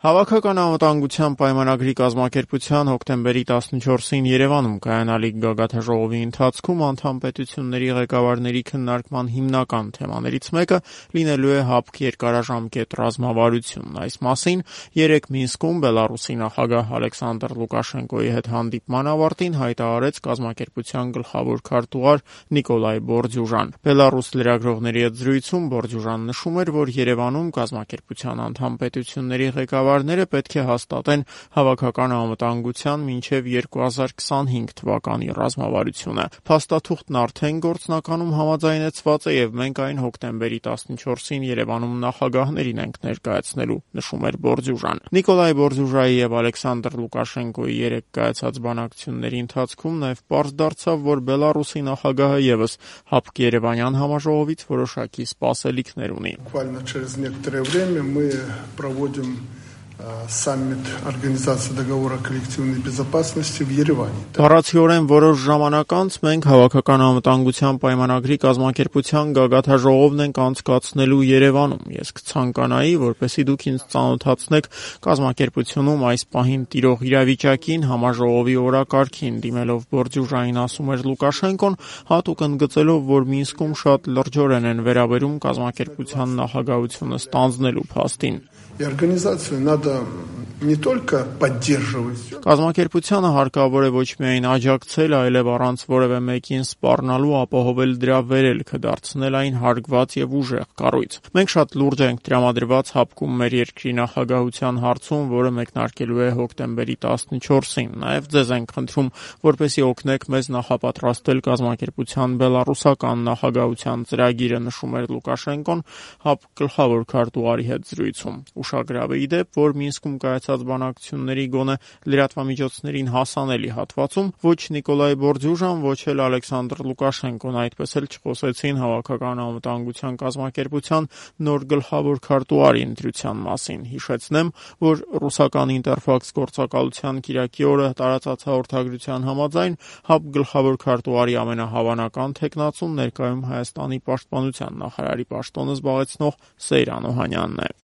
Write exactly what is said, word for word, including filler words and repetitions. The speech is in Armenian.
Հավաքական անվտանգության պայմանագրի կազմակերպության հոկտեմբերի տասնչորսին Երևանում կայանալիք գագաթնաժողովի ընթացքում անդամ պետությունների ղեկավարների քննարկման հիմնական թեմաներից մեկը լինելու է ՀԱՊԿ երկարաժամկետ ռազմավարությունն։ Այս մասին երեկ Մինսկում Բելառուսի նախագահ Ալեքսանդր Լուկաշենկոյի հետ հանդիպման ավարտին հայտարարեց կազմակերպության գլխավոր քարտուղար Նիկոլայ Բորդյուժան։ Բելառուս լրագրողների հետ զրույցում Բորդյուժան նշում էր, որ Երևանում կազմակերպության անդամ պետությունների ղեկավար Ները պետք է հաստատեն հավաքական անվտանգության մինչև երկու հազար քսանհինգ թվականի ռազմավարությունը։ Փաստաթուղթն արդեն գործնականում համաձայնեցված է եւ մենք այն հոկտեմբերի տասնչորսին Երևանում նախագահներին ենք ներկայացնելու, նշում էր Բորդյուժան։ Նիկոլայ Բորդյուժայի եւ Ալեքսանդր Լուկաշենկոյի երեկ կայացած բանակցությունների ընթացքում նաեւ պարզ դարձավ, որ Բելառուսի նախագահը եւս ՀԱՊԿ Երևանյան համաժողովից որոշակի սպասելիքներ ունի։ Саммит Организации договора коллективной безопасности в Երևանի։ Բառացիորեն որոշ ժամանակ անց մենք հավաքական անվտանգության պայմանագրի կազմակերպության գագաթնաժողովն ենք անցկացնելու Երևանում։ Ես կցանկանայի, որպեսզի դուք ինձ ծանոթացնեք կազմակերպությունում այս պահին տիրող իրավիճակին, համաժողովի օրակարգին, դիմելով Բորդյուժային ասում էր Լուկաշենկոն, հատուկ ընդգծելով, որ Մինսկում շատ լրջորեն են վերաբերում կազմակերպության նախագահությունը ստանձնելու փաստին։ Организацию надо не только поддерживать. Կազմակերպությանը հարկավոր է ոչ միայն աջակցել, այլև առանց որևէ մեկին սպառնալու ապահովել դրա վերելքը, դարձնել այն հարգված եւ ուժեղ կառույց։ Մենք շատ լուրջ ենք տրամադրված ՀԱՊԿ-ում մեր երկրի նախագահության հարցում, որը մեկնարկելու է հոկտեմբերի տասնչորսին։ Նաեւ ձեզ ենք խնդրում, որպեսզի օգնեք մեզ նախապատրաստել կազմակերպության բելառուսական նախագահության ծրագիրը, նշում էր Լուկաշենկոն ՀԱՊԿ գլխավոր քարտուղարի հետ զրույցում։ Ուշագրավ է ի դեպ, որ Մինսկում կայացած բանակցությունների գոնե լրատվամիջոցներին հասանելի հատվածում ոչ Նիկոլայ Բորդյուժան, ոչ էլ Ալեքսանդր Լուկաշենկոն այդպես էլ չխոսեցին հավաքական անվտանգության կազմակերպության նոր գլխավոր քարտուղարի ընտրության մասին։ Հիշեցնեմ, որ ռուսական Ինտերֆաքս գործակալության կիրակի օրը տարածած հաղորդագրության համաձայն ՀԱՊԿ գլխավոր քարտուղարի ամենահավանական թեկնածուն ներկայում Հայաստանի պաշտպանության նախարարի պաշտոնը զբաղեցնող Սեյրան Օհանյանն է։